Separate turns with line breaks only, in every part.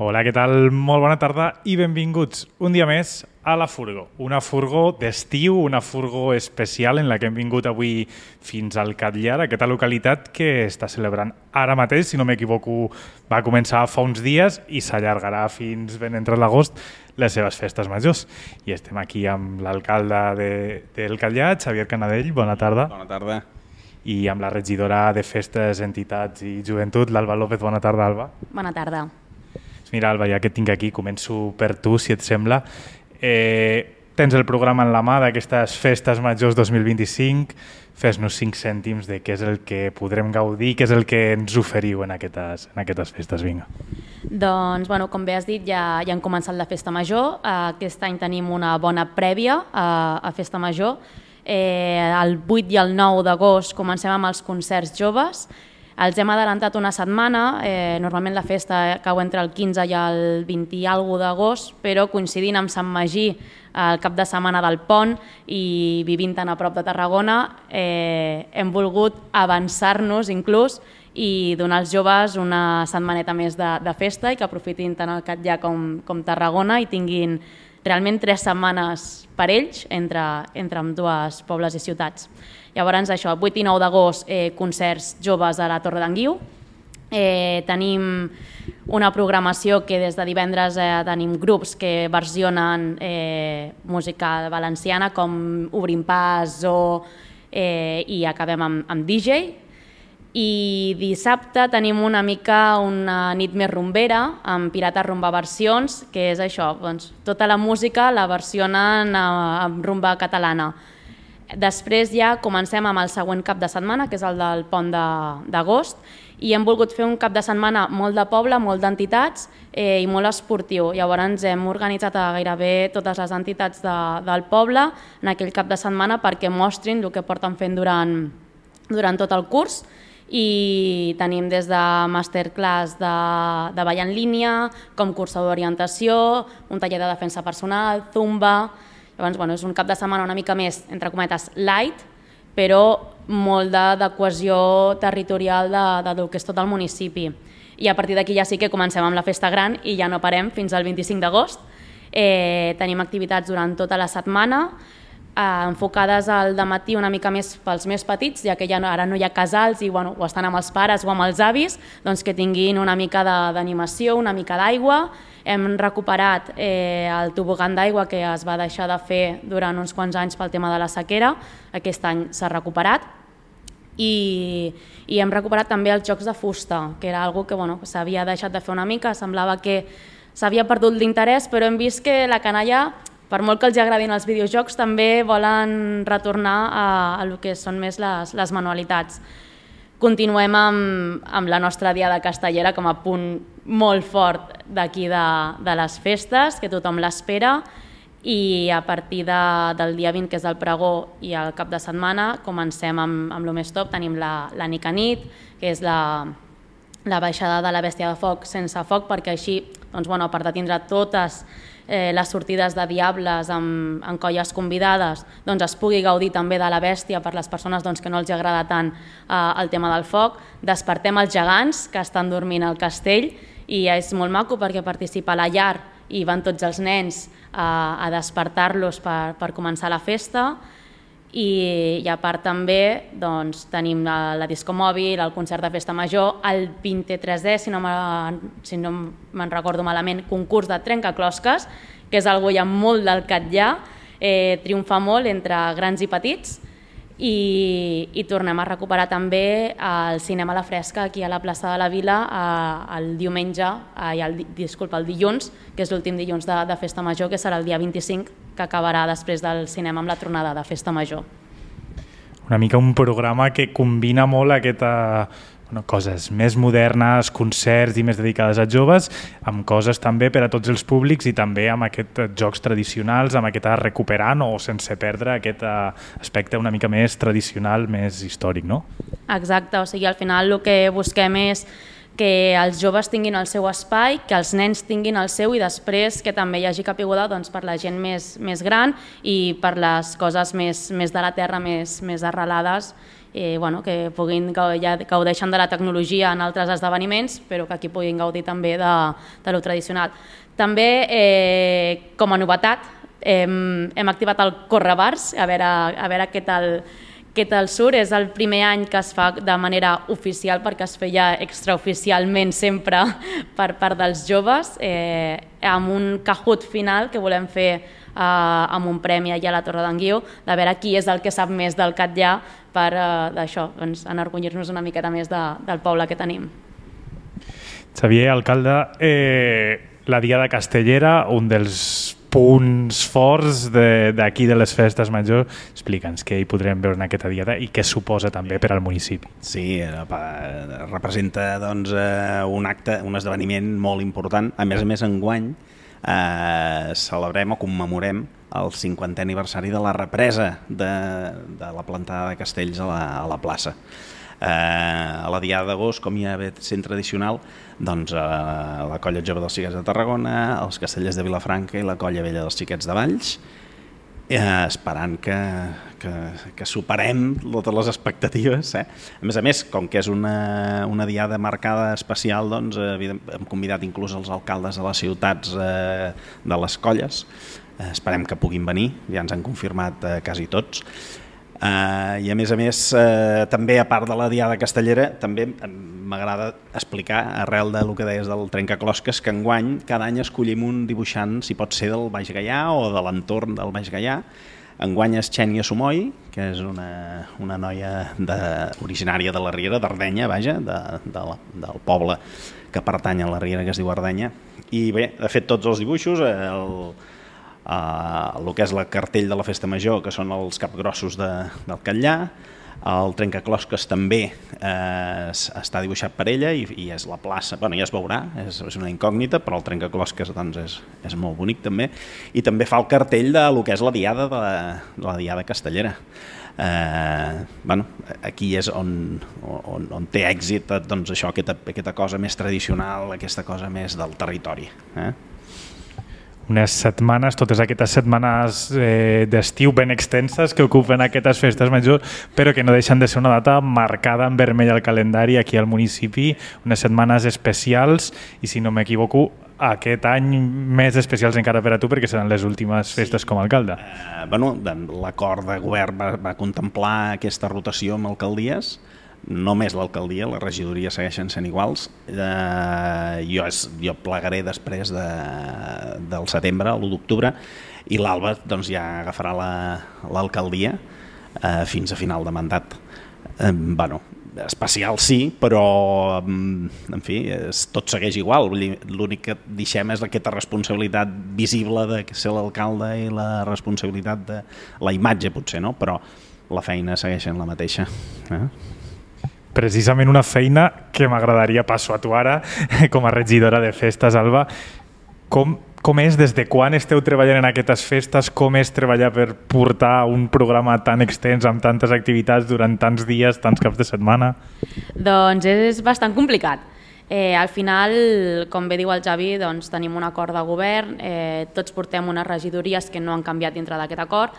Hola, què tal? Molt bona tarda i benvinguts un dia més a La Furgo. Una furgó d'estiu, una furgó especial en la que hem vingut avui fins al Catllar, aquesta localitat que està celebrant ara mateix, si no m'equivoco, va començar fa uns dies i s'allargarà fins ben entrat l'agost les seves festes majors. I estem aquí amb l'alcalde del Catllar, Xavier Canadell. Bona tarda.
Bona tarda.
I amb la regidora de Festes, Entitats i Joventut, l'Alba López. Bona tarda, Alba.
Bona tarda.
Mira, Alba, ja que et tinc aquí, començo per tu, si et sembla. Tens el programa en la mà d'aquestes Festes Majors 2025. Fes-nos 5 cèntims de què és el que podrem gaudir, què és el que ens oferiu en aquestes festes. Vinga.
Doncs, com bé has dit, ja han començat la Festa Major. Aquest any tenim una bona prèvia a Festa Major. El 8 i el 9 d'agost comencem amb els concerts joves. Els hem adelantat una setmana, normalment la festa cau entre el 15 i el 20 i alguna d'agost, però coincidint amb Sant Magí, el cap de setmana del Pont, i vivint tan a prop de Tarragona, hem volgut avançar-nos inclús i donar als joves una setmaneta més de festa i que aprofitin tant el Catllar com Tarragona i tinguin realment 3 setmanes per ells entre ambdues pobles i ciutats. Llavors, això, 8 i 9 d'agost, concerts joves a la Torre d'en Guiu. Tenim una programació que des de divendres tenim grups que versionen música valenciana com Obrim Pas i acabem amb DJ. I dissabte tenim una nit més rumbera amb Pirates Rumba Versions, que és això, tota la música la versionen amb rumba catalana. Després ja comencem amb el següent cap de setmana, que és el del Pont d'agost, i hem volgut fer un cap de setmana molt de poble, molt d'entitats i molt esportiu. Llavors hem organitzat a gairebé totes les entitats del poble en aquell cap de setmana perquè mostrin el que porten fent durant tot el curs. I tenim des de masterclass de ball en línia, com cursa d'orientació, un taller de defensa personal, zumba. Llavors, és un cap de setmana una mica més, entre cometes, light, però molt de cohesió territorial del que és tot el municipi. I a partir d'aquí ja sí que comencem amb la festa gran i ja no parem fins al 25 d'agost. Tenim activitats durant tota la setmana, enfocades al dematí una mica més pels més petits, ja que ara no hi ha casals i o estan amb els pares o amb els avis, doncs que tinguin una mica d'animació, una mica d'aigua. Hem recuperat el tobogan d'aigua que es va deixar de fer durant uns quants anys pel tema de la sequera. Aquest any s'ha recuperat. I hem recuperat també els jocs de fusta, que era una cosa que s'havia deixat de fer una mica, semblava que s'havia perdut l'interès, però hem vist que la canalla, per molt que els agradin els videojocs, també volen retornar a el que són més les manualitats. Continuem amb la nostra diada castellera com a punt molt fort d'aquí de les festes, que tothom l'espera, i a partir del dia 20, que és el pregó, i el cap de setmana, comencem amb el més top. Tenim la Nicanit, que és la baixada de la bèstia de foc sense foc, perquè així, a part de tindre totes les sortides de diables amb colles convidades, es pugui gaudir també de la bèstia per les persones que no els agrada tant el tema del foc. Despertem els gegants que estan dormint al castell i és molt maco perquè participa la llar i van tots els nens a despertar-los per començar la festa. I a part també tenim la disco mòbil, el concert de festa major, el 23è, si no me'n recordo malament, concurs de trencaclosques, que és algo ja molt del Catllar, triomfa molt entre grans i petits, i tornem a recuperar també el cinema a la fresca aquí a la plaça de la Vila el dilluns, que és l'últim dilluns de festa major, que serà el dia 25, que acabarà després del cinema amb la tronada de festa major.
Una mica un programa que combina molt coses més modernes, concerts i més dedicades a joves, amb coses també per a tots els públics i també amb aquests jocs tradicionals, amb aquest recuperant o sense perdre aquest aspecte una mica més tradicional, més històric, no?
Exacte, al final el que busquem és que els joves tinguin el seu espai, que els nens tinguin el seu i després que també hi hagi caiguda per la gent més gran i per les coses més de la terra, més arrelades que puguin ja gaudeixen de la tecnologia en altres esdeveniments, però que aquí puguin gaudir també de lo tradicional. També, com a novetat, hem activat el Correbars, a veure què tal surt. És el primer any que es fa de manera oficial, perquè es feia extraoficialment sempre per part dels joves, amb un Kahoot final que volem fer amb un premi allà a la Torre d'en Guiu, de veure qui és el que sap més del Catllar per d'això, enorgullir-nos una miqueta més del poble que tenim.
Xavier, alcalde, la Diada Castellera, un dels punts forts d'aquí de les festes majors. Explica'ns què hi podrem veure en aquesta diada i què suposa també per al municipi.
Sí, representa un acte, un esdeveniment molt important. A més, enguany celebrem o commemorem el 50è aniversari de la represa de la plantada de castells a la plaça. A la Diada d'Agost, com ja ve sent tradicional, la Colla Jove dels Xiquets de Tarragona, els Castellers de Vilafranca i la Colla Vella dels Xiquets de Valls, esperant que superem totes les expectatives. A més, com que és una diada marcada especial, hem convidat inclús els alcaldes de les ciutats de les colles. Esperem que puguin venir, ja ens han confirmat quasi tots. I a més, també a part de la Diada Castellera, també m'agrada explicar, arrel del que deies del trencaclosques, que enguany cada any escollim un dibuixant, si pot ser del Baix Gaià o de l'entorn del Baix Gaià. Enguany és Xènia Somoi, que és una noia originària de la Riera, d'Ardenya, del poble que pertany a la Riera, que es diu Ardenya. I bé, ha fet tots els dibuixos, el que és la cartell de la Festa Major, que són els capgrossos del Catllar. El trencaclosques també està dibuixat per ella i és la plaça, ja es veurà, és una incògnita, però el trencaclosques és molt bonic també. I també fa el cartell de lo que és la Diada Castellera. Aquí és on té èxit això, aquesta cosa més tradicional, aquesta cosa més del territori.
Unes setmanes, totes aquestes setmanes d'estiu ben extenses que ocupen aquestes festes majors, però que no deixen de ser una data marcada en vermell al calendari aquí al municipi, unes setmanes especials i, si no m'equivoco, aquest any més especials encara per a tu, perquè seran les últimes festes com a alcalde.
L'acord de govern va contemplar aquesta rotació amb alcaldies, només l'alcaldia, les regidories segueixen sent iguals. Jo plegaré després del setembre, l'1 d'octubre, i l'Alba ja agafarà l'alcaldia fins a final de mandat. Especial sí, però en fi, tot segueix igual. L'únic que deixem és aquesta responsabilitat visible de ser l'alcalde i la responsabilitat de la imatge, potser, no? Però la feina segueix sent la mateixa.
Precisament una feina que m'agradaria passo a tu ara, com a regidora de festes, Alba. Com és, des de quan esteu treballant en aquestes festes, com és treballar per portar un programa tan extens amb tantes activitats durant tants dies, tants caps de setmana?
Doncs és bastant complicat. Al final, com bé diu el Javi, tenim un acord de govern, tots portem unes regidories que no han canviat dintre d'aquest acord.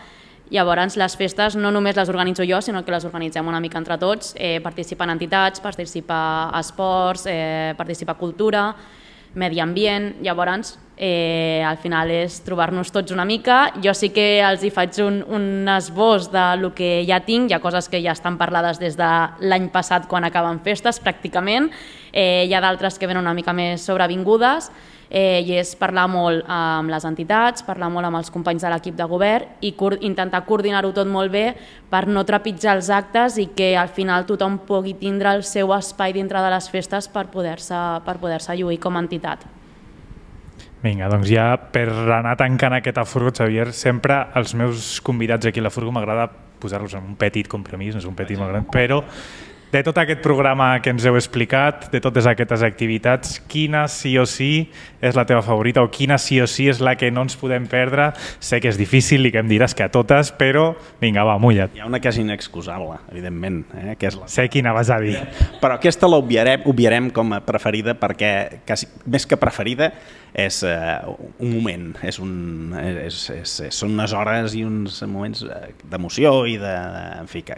Llavors, les festes no només les organitzo jo, sinó que les organitzem una mica entre tots. Participen entitats, participa esports, participa cultura, medi ambient. Llavors, al final és trobar-nos tots una mica. Jo sí que els hi faig un esbós del que ja tinc. Hi ha coses que ja estan parlades des de l'any passat, quan acaben festes, pràcticament. Hi ha d'altres que venen una mica més sobrevingudes. I és parlar molt amb les entitats, parlar molt amb els companys de l'equip de govern i intentar coordinar-ho tot molt bé per no trepitjar els actes i que al final tothom pugui tindre el seu espai dintre de les festes per poder-se lluir com a entitat.
Vinga, doncs ja per anar tancant aquesta furgo, Xavier, sempre als meus convidats aquí a la furgo m'agrada posar-los en un petit compromís, no és un petit molt gran, però de tot aquest programa que ens heu explicat, de totes aquestes activitats, quina sí o sí és la teva favorita o quina sí o sí és la que no ens podem perdre? Sé que és difícil i que em diràs que a totes, però vinga, va, mulla't.
Hi ha una que és inexcusable, evidentment. Que és
sé quina vas a dir.
Però aquesta l'obviarem com a preferida perquè, més que preferida, és un moment, són unes hores i uns moments d'emoció i de, en fi, que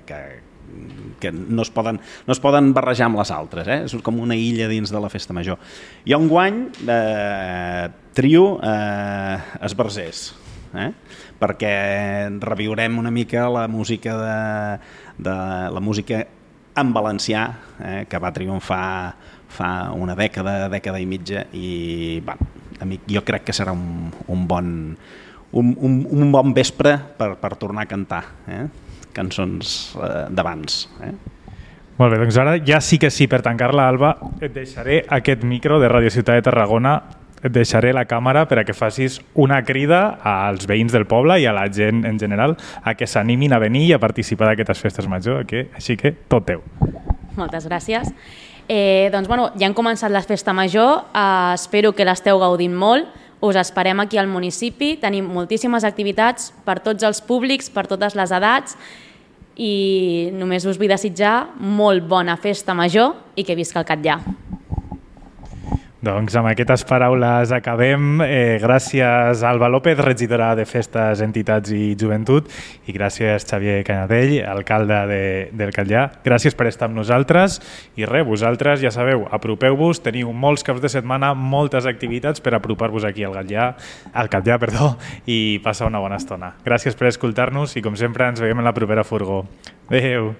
que no es poden barrejar amb les altres, és com una illa dins de la festa major. I enguany trio esbarzers, perquè reviurem una mica la música la música en valencià, que va triomfar fa una dècada i mitja, i jo crec que serà un bon vespre per tornar a cantar cançons d'abans.
Molt bé, doncs ara ja sí que sí, per tancar-la, Alba, et deixaré aquest micro de Radio Ciutat de Tarragona, et deixaré la càmera per a que facis una crida als veïns del poble i a la gent en general a que s'animin a venir i a participar d'aquestes festes major, així que tot teu.
Moltes gràcies. Doncs, ja han començat la festa major, espero que l'esteu gaudint molt, us esperem aquí al municipi, tenim moltíssimes activitats per tots els públics, per totes les edats, i només us vull desitjar molt bona festa major i que visca el Catllar.
Doncs amb aquestes paraules acabem. Gràcies Alba López, regidora de Festes, Entitats i Joventut, i gràcies Xavier Canadell, alcalde del Catllar. Gràcies per estar amb nosaltres i vosaltres ja sabeu, apropeu-vos, teniu molts caps de setmana, moltes activitats per apropar-vos aquí al Catllar, i passar una bona estona. Gràcies per escoltar-nos i com sempre ens veiem en la propera furgó. Adéu!